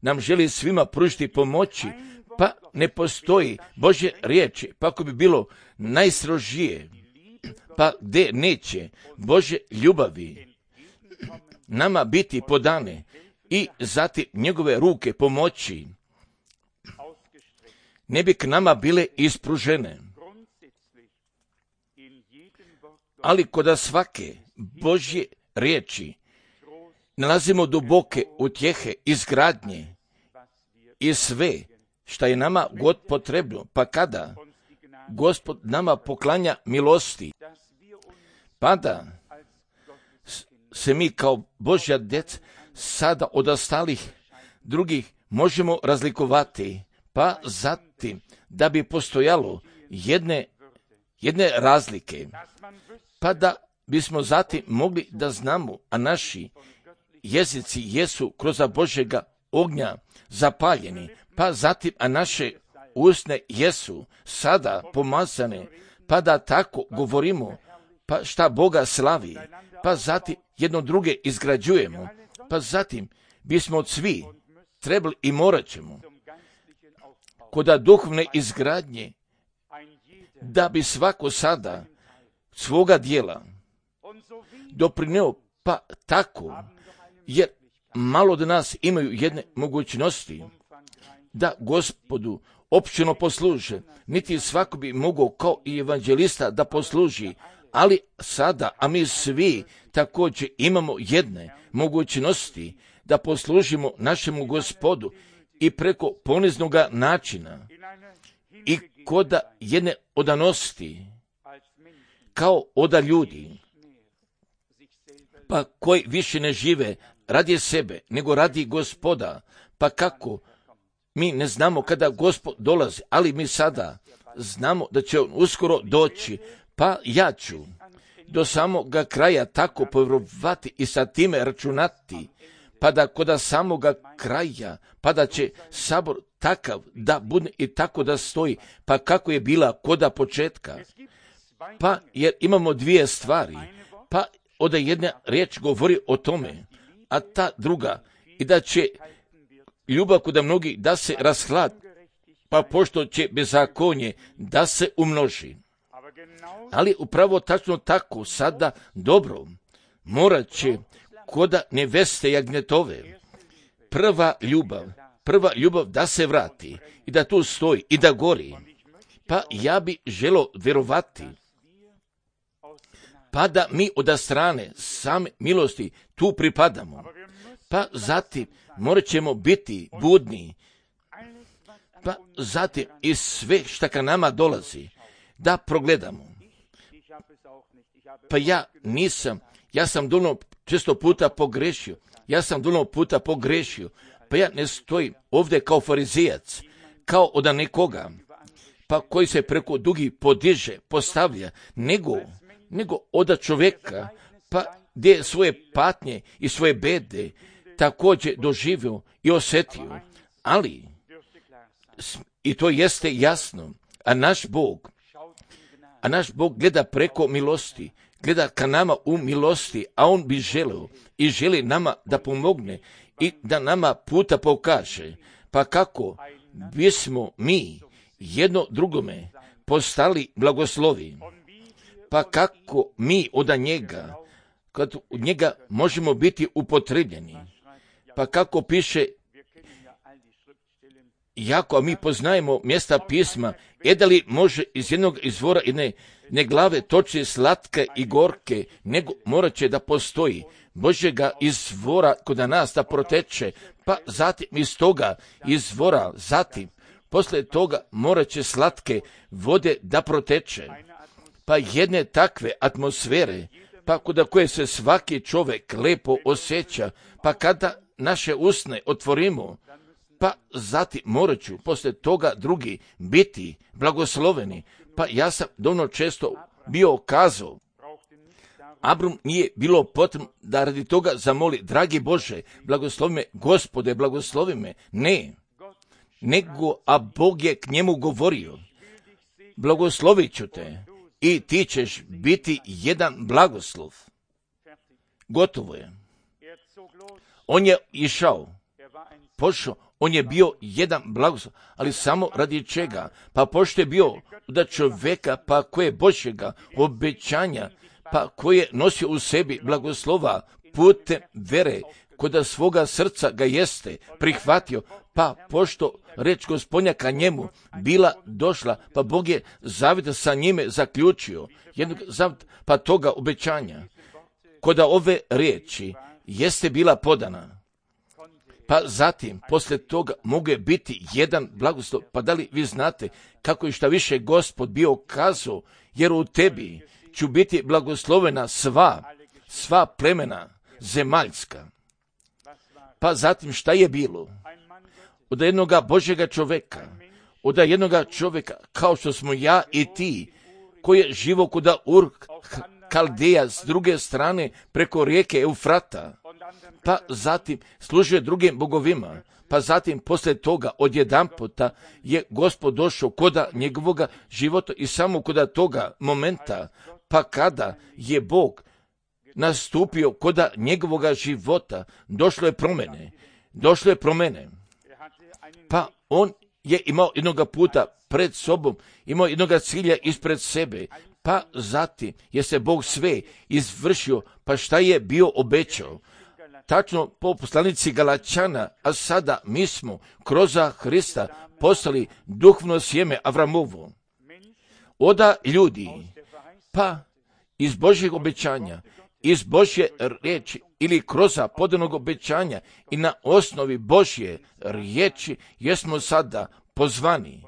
S1: nam želi svima pružiti pomoći, pa ne postoji Božje riječi, pa ako bi bilo najstrožije, pa gdje neće Božje ljubavi nama biti podane i zatim njegove ruke pomoći, ne bi k nama bile ispružene. Ali kod svake Božje riječi nalazimo duboke utjehe, izgradnje i sve što je nama god potrebno, pa kada Gospod nama poklanja milosti, pa da se mi kao Božja djeca sada od ostalih drugih možemo razlikovati, pa zatim da bi postojalo jedne razlike, pa da bismo zatim mogli da znamo, a naši jezici jesu kroz Božjega ognja zapaljeni, pa zatim, a naše usne jesu sada pomazane, pa da tako govorimo, pa šta Boga slavi, pa zatim jedno druge izgrađujemo, pa zatim bismo od svi trebali i morat ćemo kod duhovne izgradnje, da bi svako sada svoga dijela doprineo, pa tako, jer malo od nas imaju jedne mogućnosti da Gospodu općeno posluže, niti svako bi mogao kao i evanđelista da posluži, ali sada, a mi svi također imamo jedne mogućnosti da poslužimo našemu Gospodu i preko poniznog načina i kod jedne odanosti kao oda ljudi, pa koji više ne žive radi sebe, nego radi Gospoda, pa kako mi ne znamo kada Gospod dolazi, ali mi sada znamo da će on uskoro doći, pa ja ću do samoga kraja tako povjerovati i sa time računati, pa da kod samoga kraja, pa da će sabor takav da bude i tako da stoji, pa kako je bila koda početka. Pa jer imamo dvije stvari, pa od jedna riječ govori o tome, a ta druga, i da će ljubav kod mnogih da se rashlad, pa pošto će bezakonje da se umnoži. Ali upravo tačno tako sada dobro morat će koda neveste jagnjetove prva ljubav da se vrati i da tu stoji i da gori. Pa ja bi želo vjerovati, pa da mi od strane same milosti tu pripadamo, pa zatim morat ćemo biti budni, pa zatim i sve što ka nama dolazi da progledamo. Pa ja sam dovoljno često puta pogrešio, pa ja ne stojim ovdje kao farizijac, kao od nekoga, pa koji se preko dugi podiže, postavlja, nego od čovjeka, pa gdje svoje patnje i svoje bede također doživio i osjetio, ali i to jeste jasno, a naš Bog gleda preko milosti, gleda ka nama u milosti, a on bi želio i želi nama da pomogne i da nama puta pokaže, pa kako bismo mi jedno drugome postali blagoslovi, pa kako mi od njega, kad u njega možemo biti upotrebljeni, pa kako piše jako, a mi poznajemo mjesta pisma, da li može iz jednog izvora jedne glave toči slatke i gorke, nego morat će da postoji Božjega izvora kod nas da proteče, pa zatim iz toga izvora, zatim poslije toga morat će slatke vode da proteče, pa jedne takve atmosfere, pa kod koje se svaki čovjek lepo osjeća, pa kada naše usne otvorimo, pa zatim morat ću poslije toga drugi biti blagosloveni. Pa ja sam dovoljno često bio kazao, Abram nije bilo potrebno da radi toga zamoli, dragi Bože, blagoslovi me, Gospode, blagoslovi me. Ne, nego, a Bog je k njemu govorio, blagoslovit ću te i ti ćeš biti jedan blagoslov. Gotovo je. On je išao, pošao, on je bio jedan blagoslov, ali samo radi čega? Pa pošto je bio da čovjeka, pa koje Božjega obećanja, pa koje je nosio u sebi blagoslova putem vere, koda svoga srca ga jeste prihvatio, pa pošto reč Gospodnja ka njemu bila došla, pa Bog je zavjet sa njime zaključio, pa toga obećanja, koda ove riječi jeste bila podana. Pa zatim, poslije toga, mogu biti jedan blagoslov. Pa da li vi znate kako je šta više Gospod bio kazao, jer u tebi ću biti blagoslovena sva plemena zemaljska. Pa zatim šta je bilo? Od jednoga Božjega čovjeka, od jednoga čovjeka kao što smo ja i ti, koji je živo kuda Ur Kaldeja s druge strane preko rijeke Eufrata, pa zatim služio drugim bogovima, pa zatim poslije toga odjedanputa je Gospod došao koda njegovoga života i samo koda toga momenta, pa kada je Bog nastupio koda njegovoga života, došlo je promjene. Pa on je imao jednoga puta pred sobom, imao jednoga cilja ispred sebe, pa zatim je se Bog sve izvršio, pa šta je bio obećao. Tačno po poslanici Galačana, a sada mi smo kroz Hrista postali duhovno sjeme Avramovo. Oda ljudi, pa iz Božjeg obećanja, iz Božje riječi ili kroz podanog obećanja i na osnovi Božje riječi jesmo sada pozvani.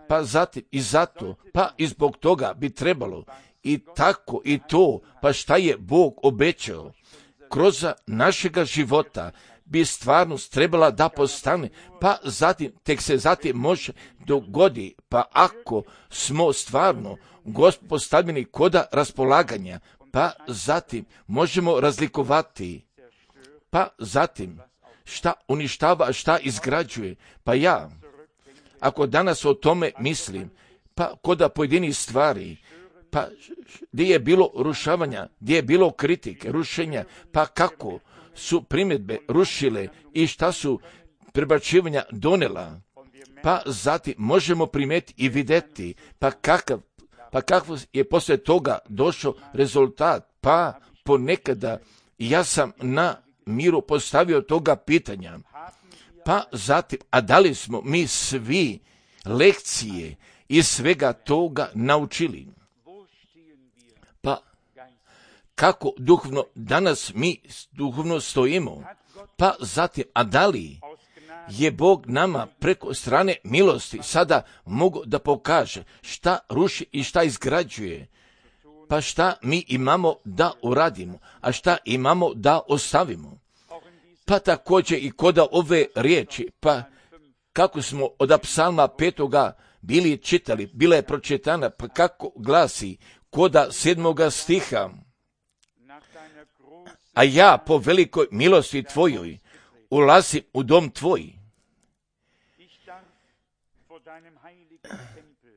S1: Pa zatim i zato, pa i zbog toga bi trebalo i tako i to, pa šta je Bog obećao. Kroz našega života bi stvarnost trebala da postane, pa zatim, tek se zatim može dogodi, pa ako smo stvarno Gospod postavljeni koda raspolaganja, pa zatim možemo razlikovati, pa zatim šta uništava, a šta izgrađuje. Pa ja, ako danas o tome mislim, pa koda pojedinih stvari, pa gdje je bilo rušavanja, gdje je bilo kritike, rušenja, pa kako su primjedbe rušile i šta su prebacivanja donela, pa zatim možemo primijetiti i vidjeti, pa kakav je poslije toga došao rezultat, pa ponekada ja sam na miru postavio toga pitanja, pa zatim, a da li smo mi svi lekcije iz svega toga naučili? Pa kako duhovno danas mi duhovno stojimo? Pa zatim, a da li je Bog nama preko strane milosti sada mogu da pokaže šta ruši i šta izgrađuje? Pa šta mi imamo da uradimo, a šta imamo da ostavimo? Pa također i koda ove riječi, pa kako smo od psalma 5. bili čitali, bila je pročitana, pa kako glasi koda 7. stiha. A ja po velikoj milosti tvojoj ulazim u dom tvoj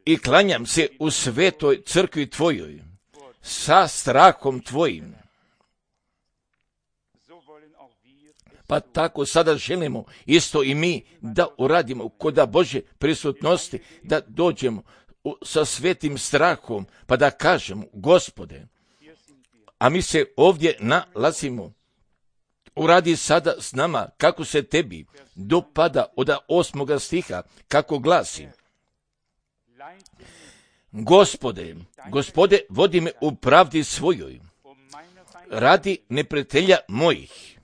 S1: i klanjam se u svetoj crkvi tvojoj sa strahom tvojim. Pa tako sada želimo isto i mi da uradimo koda Božje prisutnosti, da dođemo sa svetim strahom, pa da kažemo, Gospode, a mi se ovdje nalazimo, uradi sada s nama kako se tebi dopada od 8. stiha, kako glasi. Gospode, vodi me u pravdi svojoj, radi neprijatelja mojih.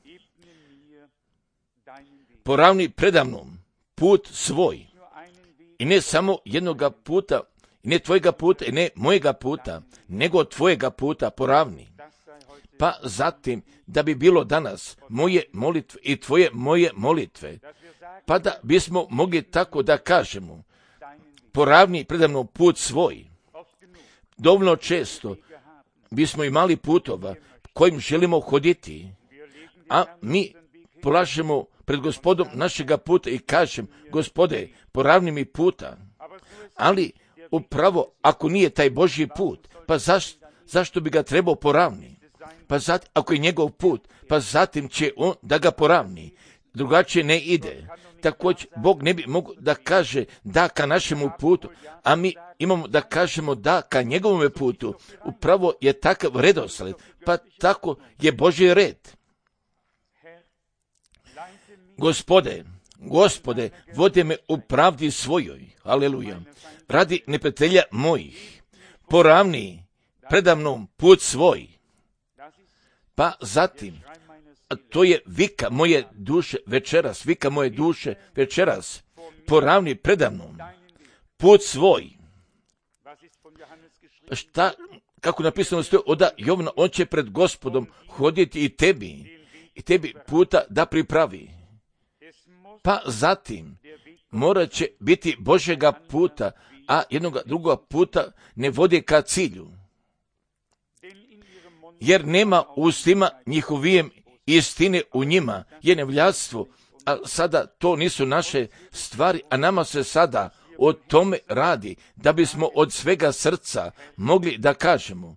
S1: Poravni predamnom put svoj. I ne samo jednoga puta, i ne tvojega puta, i ne mojega puta, nego tvojega puta poravni. pa zatim da bi bilo danas moje molitve i tvoje moje molitve, pa da bismo mogli tako da kažemo, poravni predamnom put svoj. Dovoljno često bismo imali putova kojim želimo hoditi, a mi polažemo pred Gospodom našega puta i kažem, Gospode, poravni mi puta. Ali upravo ako nije taj Božji put, pa zašto bi ga trebao poravni? Pa zatim, ako je njegov put, pa zatim će on da ga poravni. Drugačije ne ide. Također, Bog ne bi mogao da kaže da ka našemu putu, a mi imamo da kažemo da ka njegovome putu. Upravo je takav redosled, pa tako je Božji red. Gospode, vodi me u pravdi svojoj, aleluja, radi neprijatelja mojih, poravni predamnom put svoj. Pa zatim, a to je vika moje duše večeras, poravni predamnom put svoj. Šta, kako napisano stoji od Jovana, on će pred Gospodom hoditi i tebi puta da pripravi. Pa zatim, morat će biti Božjega puta, a jednog drugoga puta ne vodi ka cilju. Jer nema u ustima njihovijem istine u njima, je nevljastvo, a sada to nisu naše stvari, a nama se sada o tome radi, da bismo od svega srca mogli da kažemo,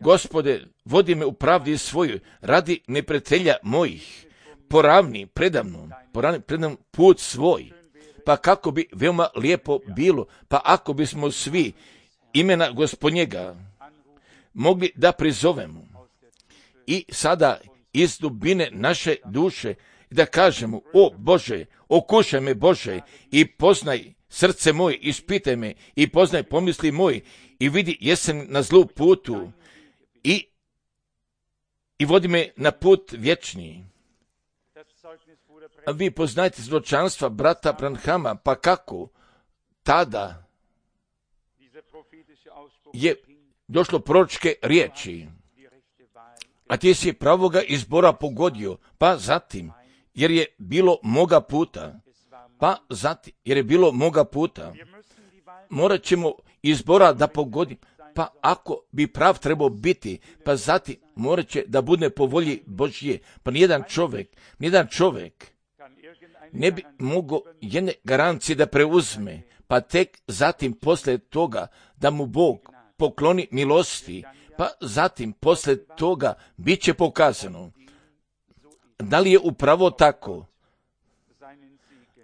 S1: Gospode, vodi me u pravdi svojoj, radi neprijatelja mojih, poravni predamnom put svoj. Pa kako bi veoma lijepo bilo, pa ako bismo svi imena Gospodnjega mogli da prizovemo i sada iz dubine naše duše da kažemo, o Bože, okušaj me Bože i poznaj srce moje, ispitaj me i poznaj pomisli moje i vidi jesam na zlu putu i vodi me na put vječni. A vi poznajte zločanstva brata Branhama, pa kako tada je došlo proročke riječi, a ti si pravoga izbora pogodio, pa zatim, jer je bilo moga puta, morat ćemo izbora da pogodim, pa ako bi prav trebao biti, pa zatim morat će da bude po volji Božje, pa nijedan čovjek ne bi mogao jedne garancije da preuzme, pa tek zatim poslije toga da mu Bog pokloni milosti, pa zatim poslije toga bit će pokazano. Da li je upravo tako?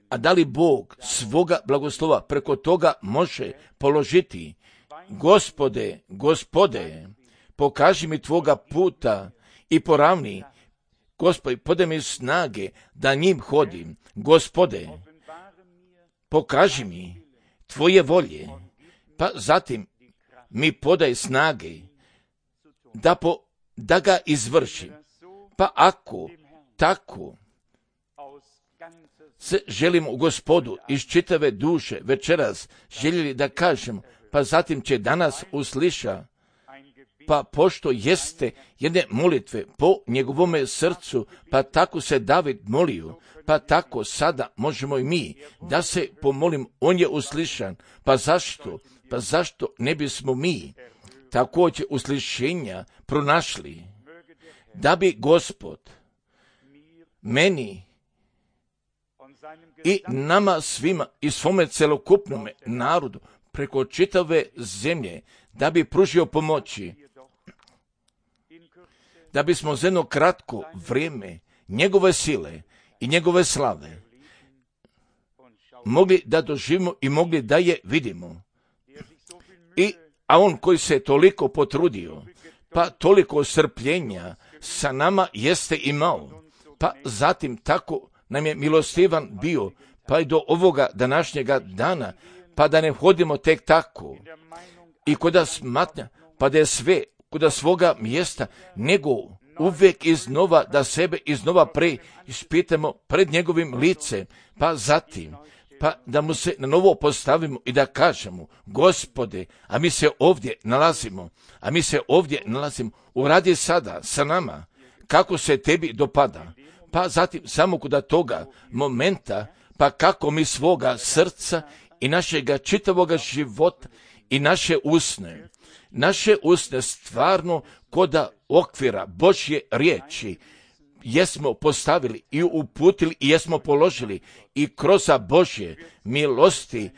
S1: A da li Bog svoga blagoslova preko toga može položiti? Gospode, pokaži mi tvoga puta i poravni. Gospode, podaj mi snage da njim hodim. Gospode, pokaži mi tvoje volje, pa zatim mi podaj snage da ga izvršim. Pa ako tako se želimo u Gospodu iz čitave duše večeras željeli da kažemo, pa zatim će danas usliša, pa pošto jeste jedne molitve po njegovome srcu, pa tako se David molio, pa tako sada možemo i mi da se pomolim, on je uslišan. Pa zašto ne bismo mi također uslišenja pronašli, da bi Gospod meni i nama svima i svome celokupnome narodu preko čitave zemlje, da bi pružio pomoći, da bismo za jedno kratko vrijeme njegove sile i njegove slave mogli da doživimo i mogli da je vidimo. A on koji se toliko potrudio, pa toliko strpljenja sa nama jeste imao, pa zatim tako nam je milostivan bio, pa i do ovoga današnjega dana, pa da ne hodimo tek tako i koda smatnja, pa da je sve koda svoga mjesta, nego uvijek iznova da sebe iznova ispitamo pred njegovim licem, pa zatim pa da mu se na novo postavimo i da kažemo, Gospode, a mi se ovdje nalazimo, uradi sada sa nama, kako se tebi dopada, pa zatim samo kod toga momenta, pa kako mi svoga srca i našega čitavoga života i naše usne stvarno koda okvira Božje riječi jesmo postavili i uputili i jesmo položili i kroz Božje milosti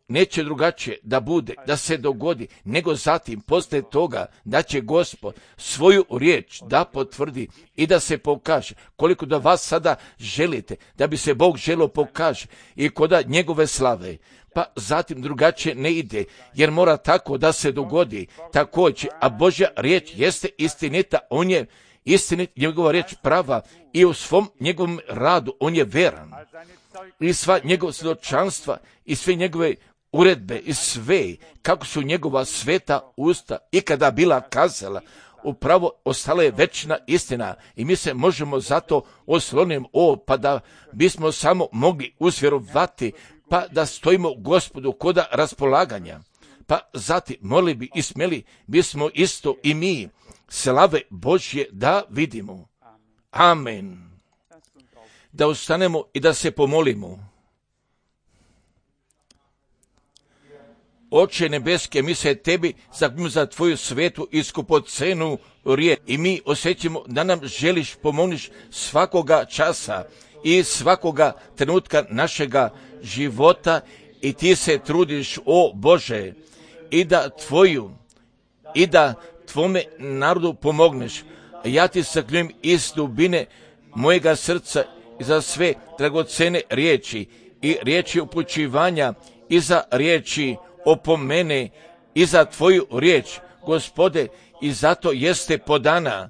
S1: neće drugačije da bude, da se dogodi, nego zatim poslije toga da će Gospod svoju riječ da potvrdi i da se pokaže. Koliko da vas sada želite, da bi se Bog želio pokaže i koda njegove slave, pa zatim drugačije ne ide, jer mora tako da se dogodi također, a Božja riječ jeste istinita, on je istinit, njegova riječ prava i u svom njegovom radu on je veran. I sva njegova svjedočanstva i sve njegove uredbe i sve, kako su njegova sveta usta ikada bila kazala, upravo ostala je večna istina i mi se možemo zato osloniti pa da bismo samo mogli usvjerovati, pa da stojimo Gospodu koda raspolaganja. Pa zatim molili bi i smjeli bismo isto i mi slave Božje da vidimo. Amen. Da ustanemo i da se pomolimo. Oče nebeske, mi se tebi zahvaljujemo za tvoju svetu i skupocenu riječ i mi osjećamo da nam želiš pomoći svakoga časa i svakoga trenutka našega života i ti se trudiš, o Bože, i da tvome narodu pomogneš. Ja ti zahvaljujem iz dubine mojega srca i za sve dragocene riječi i riječi upućivanja i za riječi opomene i za tvoju riječ, Gospode, i zato jeste podana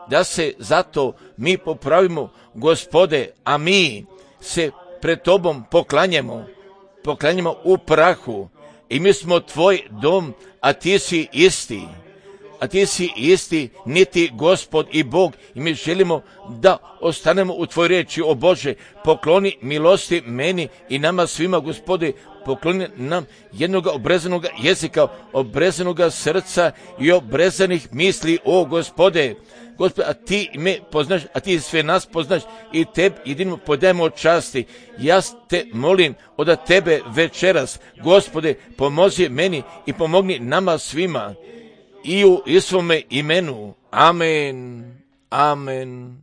S1: da se zato mi popravimo, Gospode, a mi se pred tobom poklanjamo u prahu i mi smo tvoj dom, a ti si isti, niti Gospod i Bog, i mi želimo da ostanemo u tvoj riječi, o Bože, pokloni milosti meni i nama svima, Gospode, pokloni nam jednog obrezanog jezika, obrezanog srca i obrezanih misli, o Gospode. Gospode, a ti me poznaš, a ti sve nas poznaš i tebi jedino podajemo časti. Ja te molim od tebe večeras, Gospode, pomozi meni i pomogni nama svima i u svome imenu. Amen. Amen.